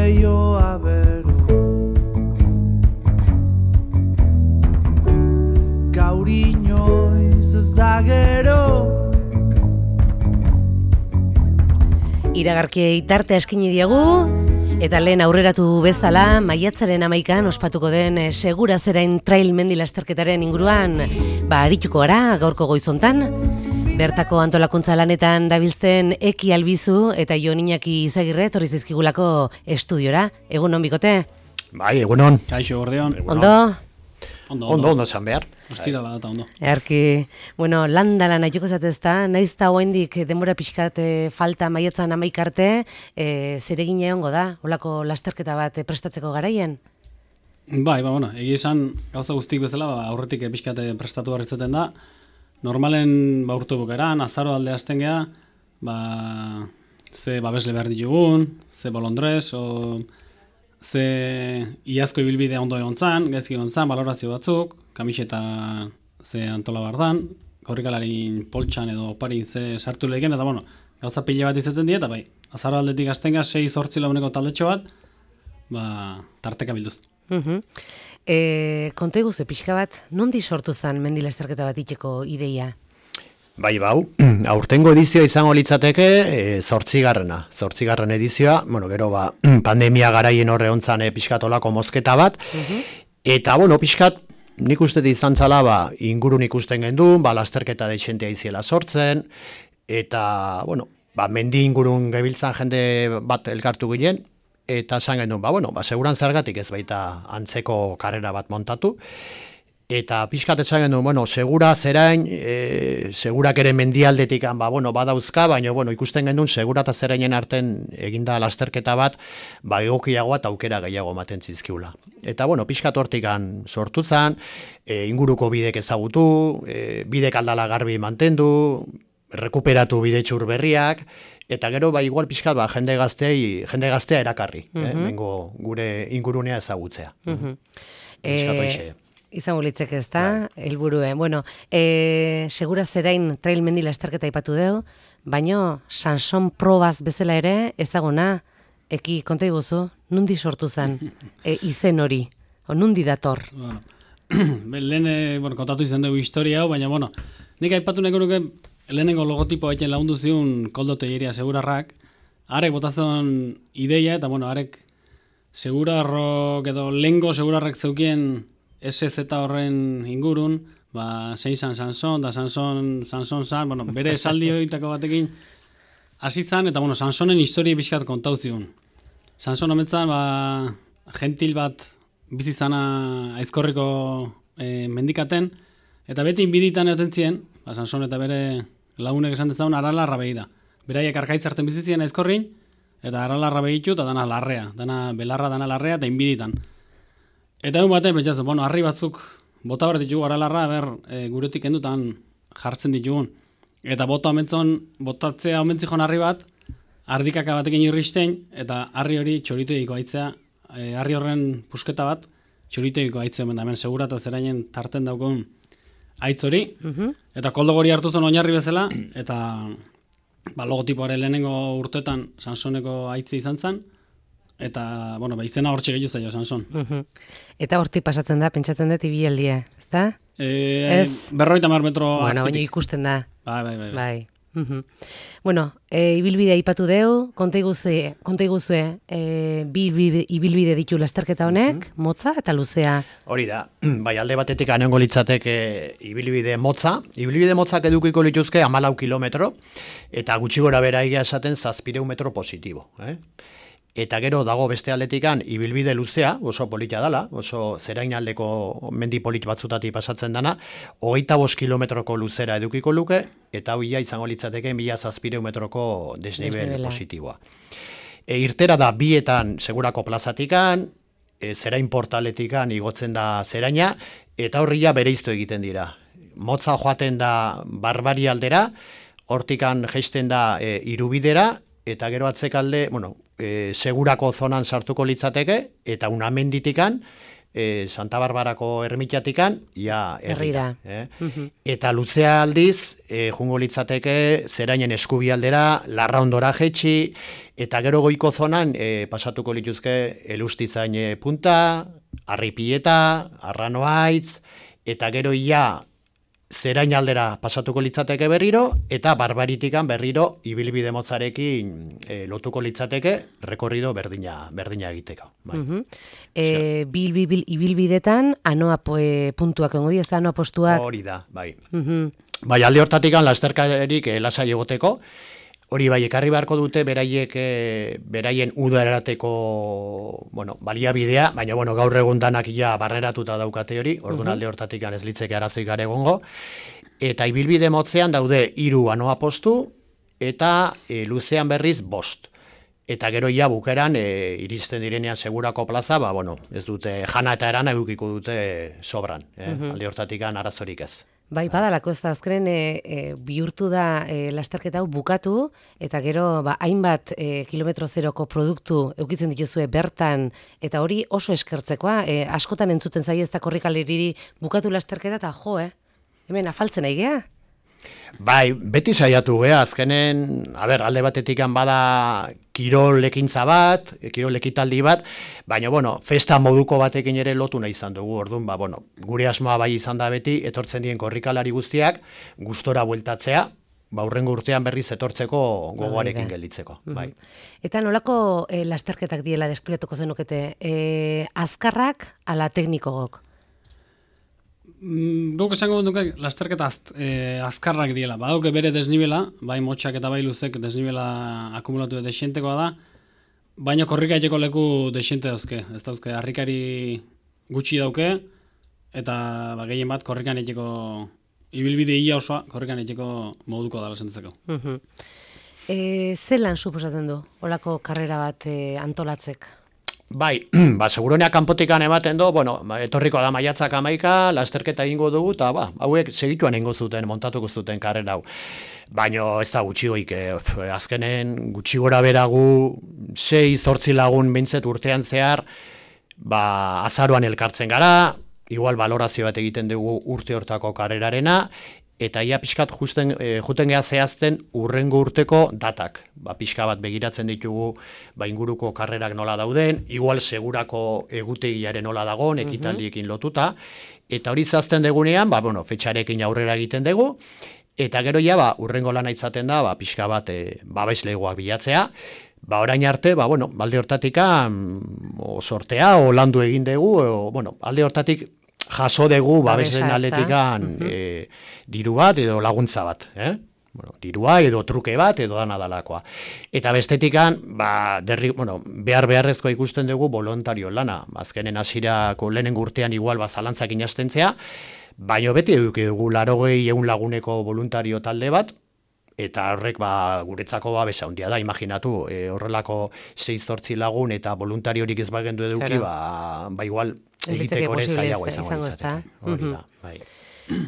leioa bero. Gaur inoiz ez da gero. Iragarkiei tartea eskaini diegu, eta lehen aurreratu bezala, maiatzaren 11an ospatuko den Segura Zerain trail mendi lasterketaren inguruan, arituko gara gaurko goizontan. Bertako antolakuntza lanetan dabiltzen Eki Albizu eta Jon Iñaki Izagirre etorri zaizkigulako estudiora. Egun on bikote? Bai, egun on. Kaixo, gordeon. Ondo? Ondo esan behar. Ostirala data ondo. Erki, landalan aituko zatezta, naiz da hoendik denbora pixkat falta maiatzan 11 arte, zeregin egongo da, holako lasterketa bat prestatzeko garaien? Bai, egia esan gauza guztik bezala, aurretik pixkat prestatu barrizaten da. Normalen urte bukeran, azaro alde hasten geha, ze babesle behar ditugun, ze bolondrez, ze iazko ibilbide ondo egon zan, gaizki egon zan, balorazio batzuk, kamiseta ze antola bardan, korrikalarin poltsan edo oparin ze sartu leheken, eta gauza pila bat izaten dira, eta azaro aldetik hasten geha, 6-8 laguneko taldetxo bat, tarteka bilduz. Konta iguzu, pixka bat, nondi sortu zen mendi lasterketa bat itxeko ideia? Bai, aurtengo edizioa izango litzateke 8. edizioa, gero pandemia garaien horre ontzan pixkat olako mozketa bat, eta pixkat nik uste izan zala ingurun ikusten gendun, lasterketa deixentea iziela sortzen, eta mendi ingurun gebiltzan jende bat elkartu ginen, eta esan gendun, seguran zergatik ez baita antzeko karrera bat montatu, eta pixkat esan gendun, Segura Zerain, segurak ere mendialdetik badauzka, baina ikusten gendun Segura eta Zerainen arten eginda lasterketa bat, egokiagoa eta aukera gehiago ematen zizkiula. Eta pixkat hortikan sortu zen, inguruko bidek ezagutu, bidek aldala garbi mantendu, rekuperatu bidetxur berriak, eta gero igual pixkat jende gaztea erakarri, bengo gure ingurunea ezagutzea. Izango litzeke ez da, helburuen. Segura Zerain trail mendi lasterketa ipatu deu, baino Sanson probaz bezala ere ezaguna, Eki, konta iguzu, nundi sortu zen izen hori, nundi dator? Lehen kontatu izan dugu historia hau, baina nik aipatu nahiko nuke lehenengo logotipo haiten lagundu ziun Koldo Telleria Segurarrak, arek botazen ideia, eta arek Segurarrok edo lehengo Segurarrak zeukien SZ horren ingurun, zein zan Sanson, da Sanson zan, bere esaldi horietako batekin hasi zan, eta Sansonen historia pixkat kontau ziun. Sanson ametzan, gentil bat bizizana aizkorriko mendikaten, eta beti inbiditan egoten zien, Sanson eta bere lagunek esan dezagun aralarra behi da. Beraiek arkaitzarten bizizien aizkorrin, eta aralarra behitu, eta dana larrea, dana belarra, dana larrea, eta inbiditan. Eta egun batean, pentsatzen, harri batzuk bota behar ditugu aralarra, guretik endutan jartzen ditugun. Eta botatzea omentzikon harri bat, ardikaka batekin irristein, eta harri hori txoriteiko aitzea, harri horren pusketa bat, txoriteiko aitzea omen da, hemen Segura eta Zerainen tarten daukun aitz hori, eta Koldo gori hartu zen oinarri bezala, eta logotipoaren lehenengo urtetan Sansoneko aitzi izan zen, eta, izena hortxe gehiu zaio Sanson. Eta hortik pasatzen da, pentsatzen dut ibialdia, ez da? 50 metro azpitik. Baina ikusten da. Bai. Ibilbidea ipatu deu, konta iguzue, ibilbide ditu lasterketa honek, motza eta luzea. Hori da, alde batetik anengo litzateke ibilbide motza. Ibilbide motzak edukiko lituzke 14 kilometro, eta gutxi gora bera egia esaten 700 metro positibo. Eta gero dago beste aldetikan ibilbide luzea, oso polita dala, oso Zerainaldeko mendi polit batzutati pasatzen dana, 25 kilometroko luzera edukiko luke, eta hoia izango litzateke 1700 metroko desnivel positiboa. Irtera da bietan Segurako plazatikan, Zerain portaletikan igotzen da Zeraina, eta horria bereiztu egiten dira. Motza joaten da Barbari aldera, hortikan jaisten da Irubidera, eta gero atzekalde, Segurako zonan sartuko litzateke, eta Unamenditikan Santa Barbarako ermitatikan, ia herrira. Herrira. Eta luzea aldiz, jungo litzateke zerainen eskubialdera, Larraondora jetxi, eta gero goiko zonan pasatuko lituzke Elustizain punta, Arripieta, Arranoaitz, eta gero ia zerain aldera pasatuko litzateke berriro, eta Barbaritikan berriro ibilbide motzarekin lotuko litzateke rekorrido berdina egiteko. Bai. Ibilbidetan, anoa puntuak ongo ez da, anoa postuak. Hori da, bai. Bai, alde hortatikan lasterkarik lasai egoteko, hori bai, ekarri beharko dute beraien udarateko baliabidea, baina gaur egun danak ja barreratuta daukate hori, orduan alde hortatik ez litzeke arazoik gare egongo, eta ibilbide motzean daude 3 anoa postu, eta luzean berriz 5. Eta gero ia bukeran iristen direnean segurako plaza, ez dute jana eta erana edukiko dute sobran, alde hortatik arazorik ez. Bai, badalako ez da, azkenen bihurtu da lasterketa hau bukatu, eta gero hainbat kilometro zeroko produktu eukitzen dituzue bertan, eta hori oso eskertzekoa, askotan entzuten zaie ez da korrikaleriri bukatu lasterketa, eta hemen afaltzen aigea? Bai, beti saiatu gea, azkenen, alde batetik bada kirol ekintza bat, kirol ekitaldi bat, baina, festa moduko batekin ere lotu nahi izan dugu, orduan, gure asmoa bai izan da beti, etortzen dien korrikalari guztiak, gustora bueltatzea, hurrengo urtean berriz etortzeko gogoarekin gelditzeko. Bai. Eta nolako lasterketak diela deskribatuko zenukete, azkarrak ala teknikogok? Guk esango duke lasterketa azkarrak diela. Badauke bere desnibela, bai motxak eta bai luzek desnibela akumulatu desientekoa da, baina korrika etxeko leku desiente dauzke. Ez dauzke, harrikari gutxi dauke, eta gehien bat korrikan etxeko ibilbide ia osoa korrikan etxeko moduko dala sentzeko. Zelan suposatzen du, olako karrera bat antolatzek? Bai, seguronea kanpotikan ematen do, etorriko da maiatzak 11, lasterketa egingo dugu, eta hauek segituan egingo zuten, montatuko zuten karrera hau. Baina ez da gutxi goik, azkenen gutxi gora beragu, 6-8 lagun bintzet urtean zehar, azaroan elkartzen gara, igual valorazio bat egiten dugu urte hortako karrerarena, eta ia pixkat juten geha zehazten urrengo urteko datak. Pixka bat begiratzen ditugu inguruko karrerak nola dauden, igual segurako egutegiaren nola dagoen, ekitaldiekin lotuta, eta hori zazten degunean, fetxarekin aurrera egiten dugu, eta gero ja, urrengo lana itzaten da, pixka bat babeslegoak bilatzea, orain arte, alde hortatik sortea, o landu egin dugu, alde hortatik jaso dugu babesen aldetikan diru bat edo laguntza bat, dirua edo truke bat edo dana dalakoa. Eta bestetikan, beharrezkoa ikusten dugu voluntario lana. Azkenen hasierako lehenengo urtean igual zalantzak inastentzea, baina beti dugu 80-100 laguneko voluntario talde bat, eta horrek guretzako babesa handia da, imaginatu, horrelako 6-8 lagun eta voluntariorik ez bagendu eduki, igual egiteko ere zailagoa izango izateke.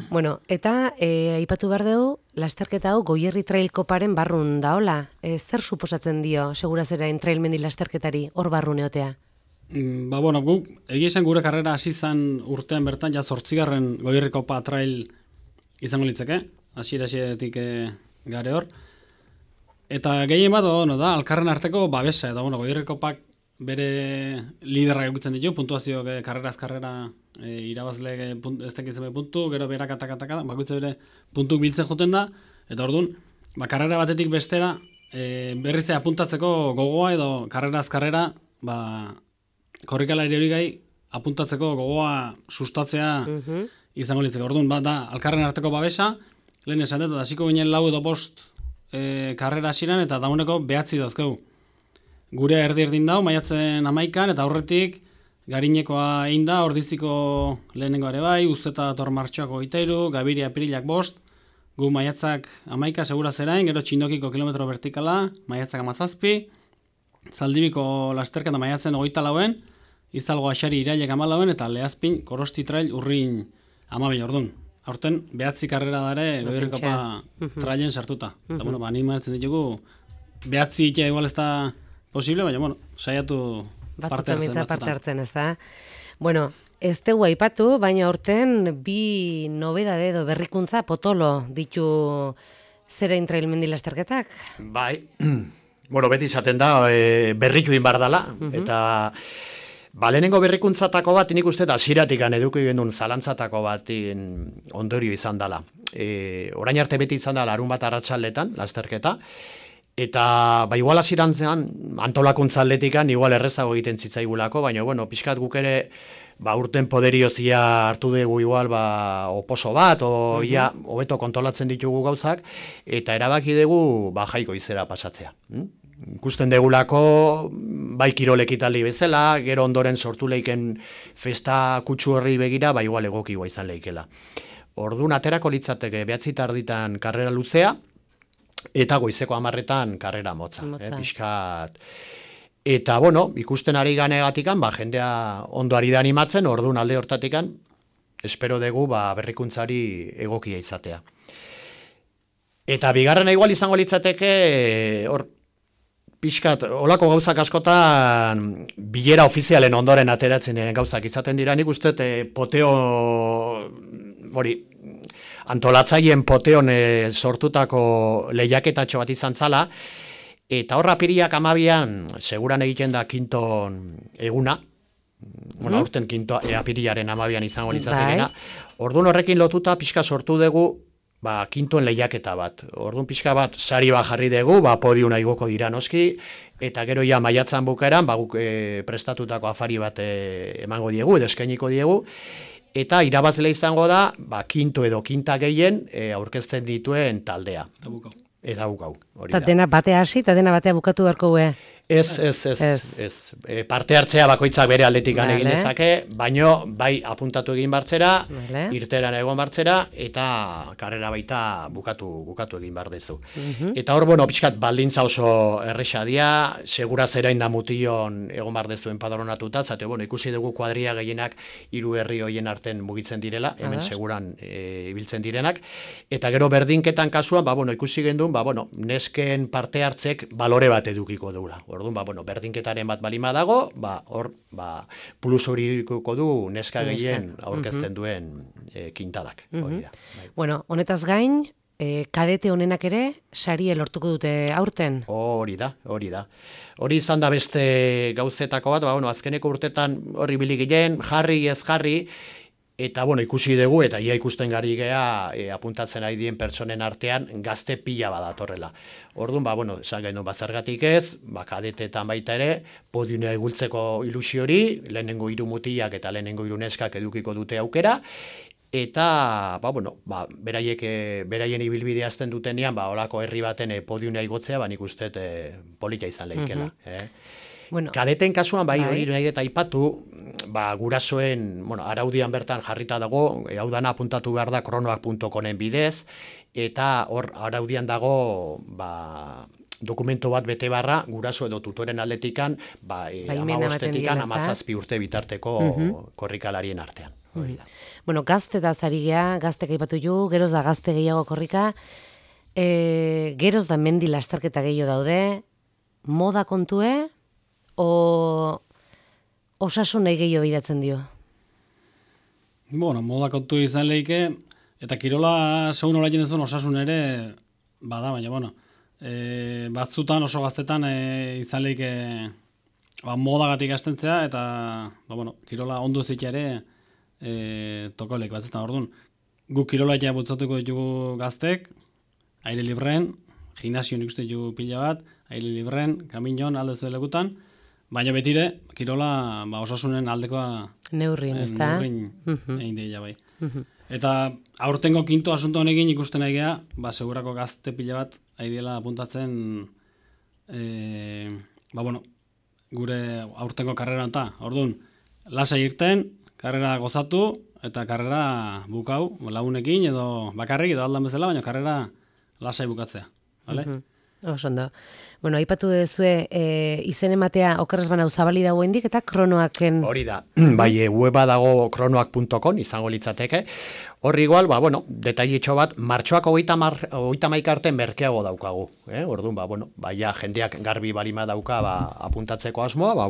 Bueno, eta aipatu behar dugu, lasterketa hau Goierri Trail Koparen barrun daola. Zer suposatzen dio, segurazerain trail mendi lasterketari hor barrun eotea? Guk, egia esan gure karrera hasi zan urtean bertan, 8. Goierri Kopa Trail izango litzeke, hasieratik gare hor. Eta gehien bat, da, alkarren arteko babesa, eta Goierri Kopak bere liderrak egutzen ditu, puntuazio karreraz karrera irabazle ez tekitzen puntu, gero berak atakataka, bakoitza bere puntu biltzen joten da, eta orduan, karrera batetik bestera, berriz apuntatzeko gogoa edo karreraz karrera, korrikalari hori gai apuntatzeko gogoa sustatzea izango litzeko. Orduan, da, alkarren arteko babesa, lehen esan dut, hasiko ginen 4 edo 5 karrera hasiran eta dauneko 9 dauzkegu. Gure erdi-erdin dau, maiatzen 11, eta aurretik Garinekoa egin da, Ordiziko lehenengo ere bai, Uzeta dator martxoak 23, Gabiria apirilak 5, gu maiatzak 11 segura zerain, gero Txindokiko kilometro vertikala, maiatzak 17, Zaldibiko lasterketa maiatzen 24, Izalgo Axari irailek 14, eta Lehazpin Korosti Trail urrin 12 ordun. Aurten, 9 karrera dare, Goierri Kopa trailen sartuta. Eta, animatzen ditugu, 9 igual ez da posible, baina, saiatu parte hartzen, ez da? Bueno, ez dugu aipatu, baina aurten bi nobedade edo berrikuntza potolo ditu zerein trail mendi lasterketak. Bai, bueno, beti izaten da, berritu inbar dala, eta lehenengo berrikuntzatako bat, nik uste hasieratik eduki genuen zalantzatako bat ondorio izan dela. Orain arte beti izan da larun bat arratsaldetan lasterketa, eta igual hasierantzean antolakuntza aldetikan igual errezago egiten zitzaigulako, baina bueno, pixkat guk ere urten poderiozia hartu dugu igual oposo bat, ia hobeto kontrolatzen ditugu gauzak, eta erabaki dugu jaiko izera pasatzea. Ikusten degulako, bai kirol ekitaldi bezala, gero ondoren sortu leiken festa kutsu horri begira, igual egokiua izan leikela. Orduan aterako litzateke 9 tarditan karrera luzea, eta goizeko 10etan karrera motza. Pixkat. Eta, bueno, ikusten ari ganegatikan, jendea ondo ari da animatzen, orduan alde hortatikan, espero dugu berrikuntzari egokia izatea. Eta bigarrena igual izango litzateke, pixkat, olako gauzak askotan bilera ofizialen ondoren ateratzen diren gauzak izaten dira, nik uste poteo, antolatzaileen poteon sortutako lehiaketatxo bat izan zala, eta horra apiriak 12an seguran egiten da kinton eguna, bueno, aurten kinto apiriaren 12an izango litzatekena, orduan horrekin lotuta pixka sortu dugu kintoen lehiaketa bat. Orduan pixka bat sari bat jarri dugu, podiuna igoko dira noski, eta gero ja maiatzan bukaeran, guk prestatutako afari bat emango diegu, edo eskainiko diegu, eta irabazle izango da, kinto edo kinta gehien aurkezten dituen taldea. Eta bukau. Eta dena batea hasi, eta dena batea bukatu beharko gue. Ez. Parte hartzea bakoitzak bere aldetik egin dezake, baino bai apuntatu egin bartzera, irteran egon bartzera, eta karrera baita bukatu egin bar dezu. Eta hor, pixkat baldintza oso erresa dia, segura zerain da mution egon bar dezu enpadronatuta, zate, ikusi dugu kuadria gehienak 3 herri hoien arten mugitzen direla, hemen seguran ibiltzen direnak, eta gero berdinketan kasuan, ikusi gendun, nesken parte hartzek balore bat edukiko dugula. Orduan, berdinketaren bat balima dago, hor, plus hori edukiko du neska gehien aurkezten duen kintadak. Bueno, honetaz gain, kadete honenak ere, saria lortuko dute aurten? Hori da. Hori izan da beste gauzetako bat, azkeneko urtetan horri biligien, jarri ez jarri, eta ikusi dugu, eta ia ikusten gari gea apuntatzen ari dien pertsonen artean gazte pila badatorrela. Orduan, esan genuen bazergatik ez, kadetetan baita ere, podiunea egultzeko ilusio hori, lehenengo 3 mutiak eta lehenengo 3 neskak edukiko dute aukera, eta, beraien ibilbidea azten dutenean, olako herri baten podiunea igotzea, nik uste polita izan lehikela. Kadeten kasuan, hori nahi eta aipatu, gurasoen, araudian bertan jarrita dago, hau dana apuntatu behar da kronoak.comen bidez, eta hor araudian dago, dokumento bat bete barra, guraso edo tutoren aldetikan, 15-etikan 17 urte bitarteko korrikalarien artean. Bueno, gazte da zari gea, gaztek aipatu ju, geroz da gazte gehiago korrika, geroz da mendi lasterketa gehiago daude, moda kontue, osasun nahi gehiago bidatzen dio? Moda kontu izan lehike, eta kirola segun horaien ez osasun ere bada, baina, batzutan oso gaztetan izan lehike modagatik astentzea, eta, kirola ondo zitea ere toko lehik batzetan. Orduan, guk kirola eta butzatuko ditugu gaztek, aire libren, gimnasio nik uste ditugu pila bat, aire libren, kaminon, alde zuelegutan, baina betire, kirola osasunen aldekoa neurrin, ez da? Neurrin egin deila bai. Eta aurtengo kinto asunto honekin ikusten nahi geha, segurako gazte pila bat aidiela apuntatzen gure aurtengo karrera eta. Orduan, lasai irten, karrera gozatu, eta karrera bukau, lagunekin edo bakarrik edo aldan bezala, baina karrera lasai bukatzea. Osondo. Bueno, aipatu duzue izen ematea okerrez banau zabali dago indik eta kronoaken. Hori da, bai, weba dago kronoak.com izango litzateke. Horri igual, bueno, detailetxo bat, martxoak 31 arte merkeago daukagu. Orduan, ja, jendeak garbi balima dauka apuntatzeko asmoa,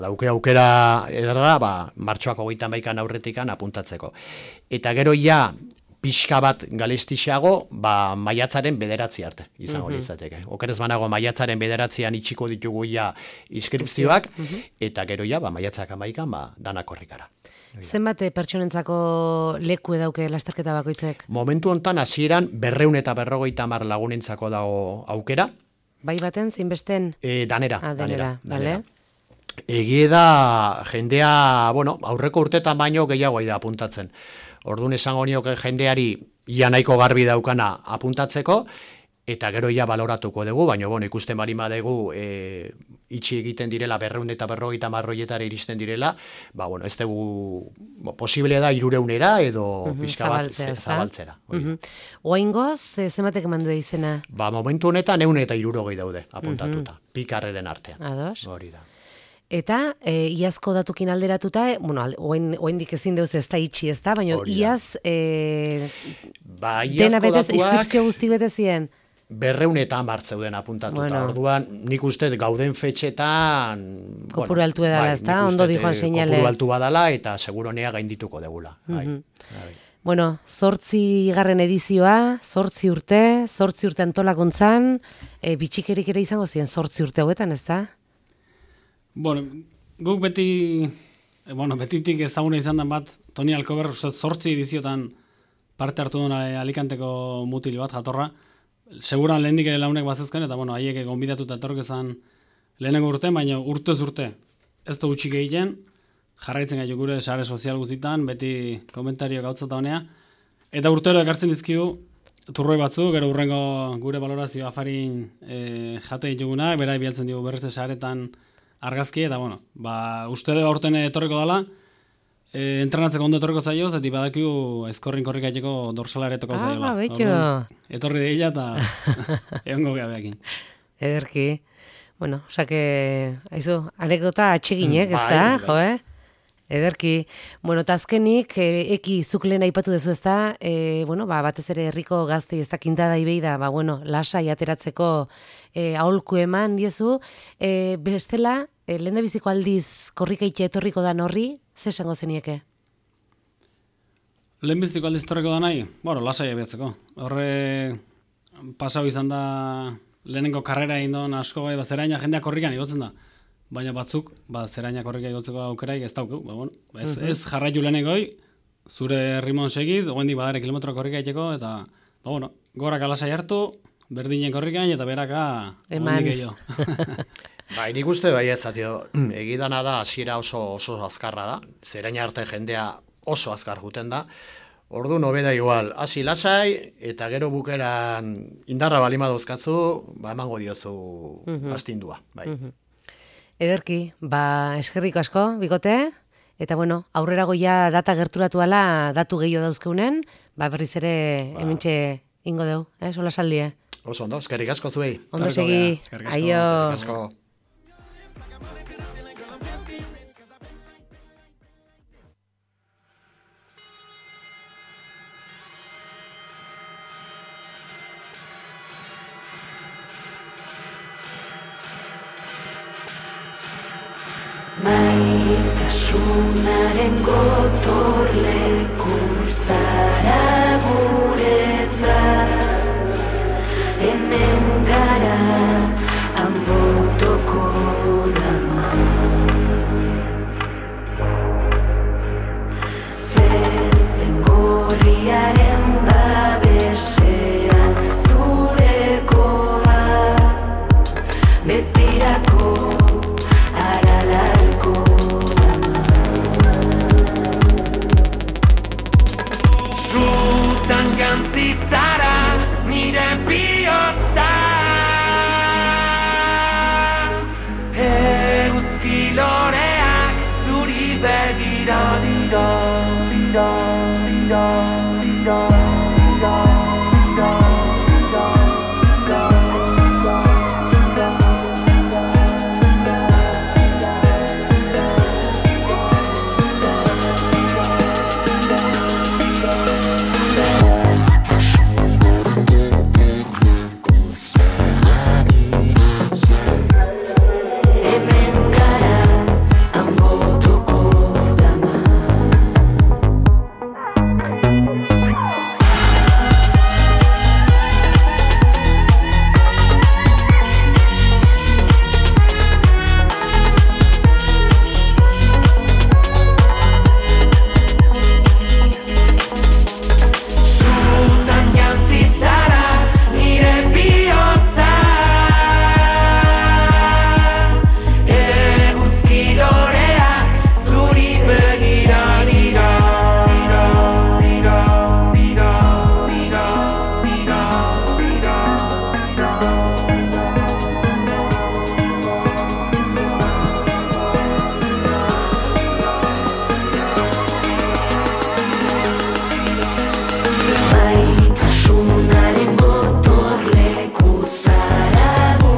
dauke aukera ederra, martxoak 31 aurretikan apuntatzeko. Eta gero ja, pixka bat galestixeago, maiatzaren 9 arte izango litzateke. Okerez banago maiatzaren 9an itxiko ditugu ja inskripzioak, eta gero ja, maiatzak 11an, danak horrikara. Zenbat pertsonentzako leku dauke lasterketa bakoitzek? Momentu hontan hasieran 250 lagunentzako dago aukera. Bai baten, zein besten? Danera. Bale. Egie da jendea, aurreko urtetan baino gehiago da apuntatzen. Orduan esango nioke jendeari ia nahiko garbi daukana apuntatzeko, eta gero ia baloratuko dugu, baina ikusten balima dugu itxi egiten direla 250 marroietara iristen direla, ez dugu posible da 300era edo pixka bat zabaltzera. Oaingoz, zenbatek eman du izena? Momentu honetan 160 daude apuntatuta, pikarreren artean. Ados. Hori da. Eta iazko datukin alderatuta, oaindik ezin deuz ez da itxi ez da, baina iaz dena betez, inskripzio guzti bete ziren? 210 zeuden apuntatuta. Orduan, nik uste gauden fetxetan... Kopuru altu edala, ez da? Ondo dijoan seinale. Kopuru altu badala eta seguronea gaindituko degula. Bueno, 8. edizioa, 8 urte antolakuntzan, bitxikerik ere izango ziren 8 urte hauetan, ez da? Guk betitik ezaguna izan den bat, Toni Alkober 8 ediziotan parte hartu duen Alicanteko mutil bat jatorra, seguran lehendik ere launek bazezken, eta haiek gonbidatuta etorrek ezan lehenengo urte, baina urtez urte ez da utxik egiten, jarraitzen gaitu gure sare sozial guztitan, beti komentario gautzata honea, eta urtero ekartzen dizkigu turroi batzu, gero urrengo gure valorazio afarin jate ditugunak, bera bialtzen dugu berrezte saretan argazki, eta uste dugu aurten etorriko dela, entrenatzeko ondo etorriko zaio, zeti badakiu eskorrin korrika etxeko dorsala ere toko zaiola. Betxo. Etorri deila eta egongo gehabeakin. Ederki. Osake, anekdota atxeginek, ez da, jo, Ederki. Eta azkenik, eki zuk lehen aipatu dezu ez da, batez ere herriko gazte ez da kintada ibei da, lasai ateratzeko aholku eman diezu. Bestela, lehen da biziko aldiz korrikaitxe etorriko da horri, ze esango zenieke? Lehenbiztiko aldiz etorriko da nahi? Lasai abiatzeko. Horre pasau izan da lehenengo karrera indon asko gai, zeraina jendeak korrikan igotzen da. Baina batzuk, zeraina korrika igotzeko aukeraik ez daukeu. Ez jarraitu lehenegoi, zure rimon segiz, ogendik badare kilometro korrika itxeko, eta gorak alasai hartu, berdinen korrikan, eta beraka ogendik gehiago. Nik uste egidana da, hasiera oso azkarra da, zeraina arte jendea oso azkar juten da, ordu nobeda igual, hasi lasai, eta gero bukeran indarra balima dauzkatzu, emango diozu astindua. Ederki, eskerriko asko, bikote, eta aurrera goia data gerturatu ala datu gehiago dauzkeunen, berriz ere hementxe ingo deu, sola saldie. Oso ondo, eskerrik asko zuei. Ondo segi, aio. Eskerrik asko. Maitasunaren gotorleku zara gure.